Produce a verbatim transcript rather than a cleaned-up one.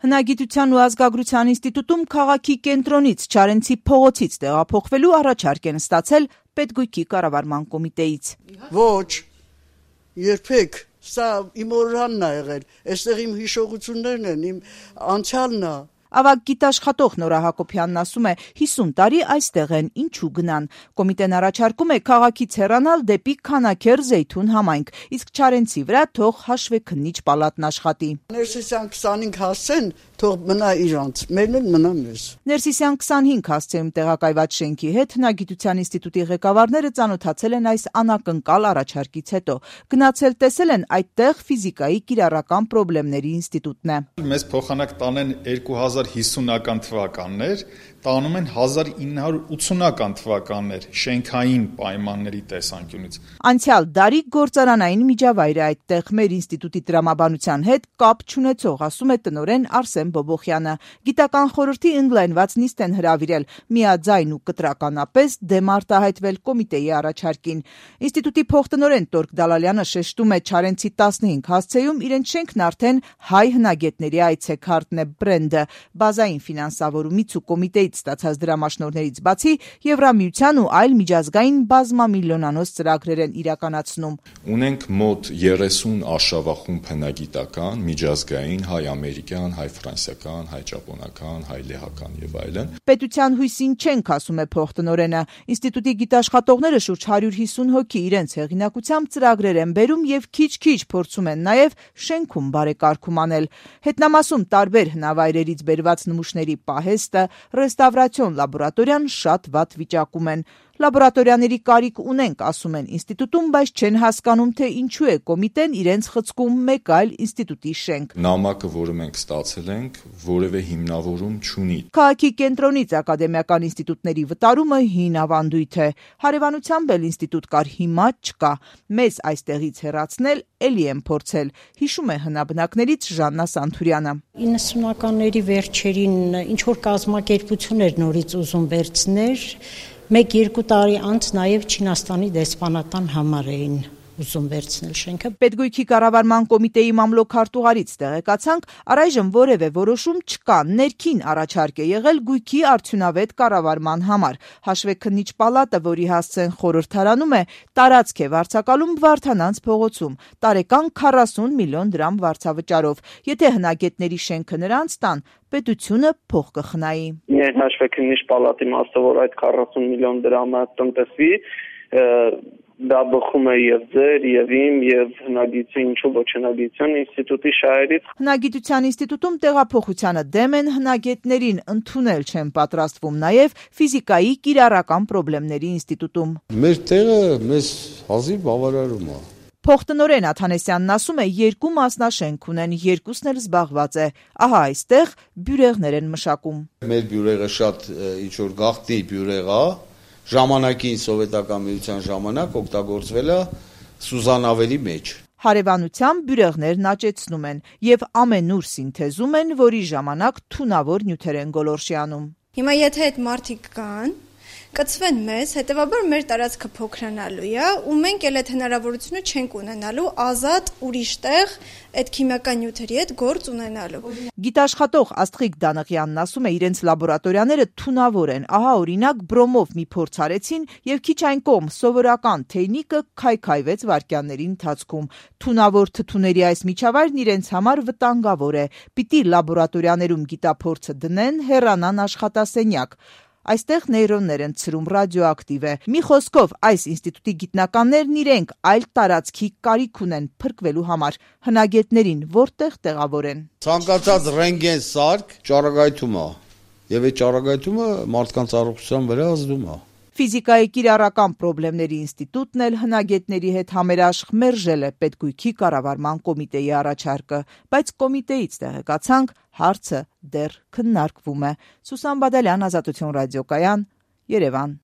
Հնագիտության ու ազգագրության ինստիտուտում քաղաքի կենտրոնից Չարենցի փողոցից տեղափոխվելու առաջարկ են ստացել Պետգույքի կառավարման կոմիտեից։ Ոչ, երբեք, սա իմ օրրանն է եղել, այստեղ իմ հիշողություններն են, իմ անցյալն է։ Ավագ գիտաշխատող Նորա Հակոբյանն ասում է, հիսուն տարի այստեղ են, ինչու գնան։ Կոմիտեն առաջարկում է քաղաքից հեռանալ դեպի Քանաքեռ Զեյթուն համայնք, իսկ Չարենցի վրա թող հաշվեքննիչ պալատն աշխատի։ Ներսիսյան քսանհինգ հասցեն, թող մնա իրանց, մերն էլ մնա մեզ։ Ներսիսյան քսանհինգ հասցեում տեղակայված շենքի հետ Հնագիտության ինստիտուտի ղեկավարները ծանոթացել են այս անակնկալ առաջարկից հետո։ Գնացել տեսել են այդտեղ ֆիզիկայի կիրառական պրոբլեմների ինստիտուտն է։ Մեզ փոխանակ տանեն երկու հազար հիսունական թվականներ, տանում են հազար ինը հարյուր ութսունական թվականներ շենքային պայմանների տեսանկյունից։ Անցյալ դարի գործարանային միջավայրը այդտեղ մեր ինստիտուտի տրամաբանության հետ կապ չունեցող, ասում է տնօրեն Արսեն Բոբոխյանը։ Գիտական խորհրդի ընդլայնված նիստ են հրավիրել, միաձայն ու կտրականապես դեմ արտահայտվել կոմիտեի առաջարկին։ Ինստիտուտի փոխտնօրեն Տորկ Դալալյանը շեշտում է Չարենցի տասնհինգ հասցեում իրենց շենքն արդեն հայ հնագետների այցեքարտն է բրենդը։ Բազային ֆինանսավորումից ու կոմիտեից ստացած դրամաշնորհներից բացի Եվրամիության ու այլ միջազգային բազմամիլիոնանոց ծրագրեր են իրականացնում։ Ունենք մոտ երեսուն արշավախումբ հնագիտական, միջազգային, հայ-ամերիկյան, հայ-ֆրանսիական, հայ-ճապոնական, հայ-լեհական եւ այլն։ Պետության հույսին չենք, ասում է փոխտնօրենը։ Ինստիտուտի գիտաշխատողները շուրջ հարյուր հիսուն հոգի իրենց հեղինակությամբ ծրագրեր են բերում եւ քիչ-քիչ փորձում են նաեւ շենքում բարեկարգում անել։ Հետնամասում տարբեր հնավայրերից բերված նմուշների պահեստը, ռեստավրացիոն լաբորատորիան շատ վատ վիճակում են։ Լաբորատորիաների կարիք ունենք, ասում են ինստիտուտում, բայց չեն հասկանում, թե ինչու է կոմիտեն իրենց խցկում մեկ այլ ինստիտուտի շենք։ Նամակը, որը մենք ստացել ենք, որևէ հիմնավորում չունի։ Քաղաքի կենտրոնից ակադեմիական ինստիտուտների վտարումը հին ավանդույթ է։ Հարևանությամբ էլ ինստիտուտ կար, հիմա չկա։ Մեզ այստեղից հեռացնել էլի են փորձել, հիշում է հնաբնակներից Ժաննա Սանթուրյանը։ իննսունականների վերջերին ինչ որ կազմակերպություն էր նորից ուզում վերցներ, մեկ-երկու տարի անց նաև Չինաստանի դեսպանատան համար էին ուզում վերցնել շենքը։ Պետգույքի կառավարման կոմիտեի մամլոք-հարտուղարից տեղեկացանք, առայժմ որևէ որոշում չկա, ներքին առաջարկ է եղել գույքի արդյունավետ կառավարման համար։ Հաշվեքննիչ պալատը, որի հասցեն խորհրդարանում է, տարածք է վարձակալում Վարդանանց փողոցում, տարեկան քառասուն միլիոն դրամ վարձավճարով։ Եթե հնագետների շենքը նրանց տան, պետությունը փող կխնայի։ Միայն հաշվեքննիչ պալատի իմաստով, որ այդ քառասուն միլիոն դրամը տնտեսվի, դա բխում է եւ ձեր, եւ իմ, եւ հնագիտության, ինչու ոչ հնագիտության ինստիտուտի շահերից։ Հնագիտության ինստիտուտում տեղափոխությանը դեմ են, հնագետներին ընդունել չեն պատրաստվում նաեւ ֆիզիկայի կիրառական պրոբլեմների ինստիտուտում։ Մեր տեղը մեզ հազիվ բավարարում է։ Փոխտնօրեն Աթանեսյանն ասում է, երկու մասնաշենք ունեն, երկուսն էլ զբաղված է։ Ահա այստեղ բյուրեղներ են մշակում։ Մեր բյուրեղը շատ ինչ որ գաղտնի բյուրեղ է, ժամանակին սովետական միության ժամանակ օգտագործվել է սուզանավերի մեջ։ Հարևանությամբ բյուրեղներն աճեցնում են եւ ամենուր սինթեզում են, որի ժամանակ թունավոր նյութեր են գոլորշի անում։ Հիմա եթե այդ մարդիկ կան, կծվեն մեզ, հետևաբար մեր տարածքը փոքրանալու է, ու մենք էլ այդ հնարավորությունը չենք ունենալու ազատ ուրիշ տեղ այդ քիմիական նյութերի հետ գործ ունենալու։ Գիտաշխատող Աստղիկ Դանղյանն ասում է, իրենց լաբորատորիաները թունավոր են։ Ահա օրինակ բրոմով մի փորձ արեցին եւ քիչ այն կողմ սովորական թեյնիկը քայքայվեց վայրկյանների ընթացքում։ Թունավոր թթուների այս միջավայրն իրենց համար վտանգավոր է։ Պիտի լաբորատորիաներում գիտափորձը դնեն, հեռանան աշխատասենյակ։ Այստեղ նեյրոններ են ցրում, ռադիոակտիվ է։ Մի խոսքով, այս ինստիտուտի գիտնականներն իրենք այլ տարածքի կարիք ունեն փրկվելու համար։ Հնագետներին որտեղ տեղավորեն։ Ցանկացած ռենտգեն սարք ճառագայթում է, եւ այդ ճառագայթումը մարդկանց առողջության վրա ազդում է։ Ֆիզիկայի կիրառական պրոբլեմների ինստիտուտն էլ հնագետների հետ համերաշխ մերժել է Պետգույքի կառավարման կոմիտեի առաջարկը, բայց կոմիտեից տեղեկացանք, հարցը դեռ քննարկվում է։ Սուսան Բադալյան, Ազատություն ռադիոկայան, Երևան։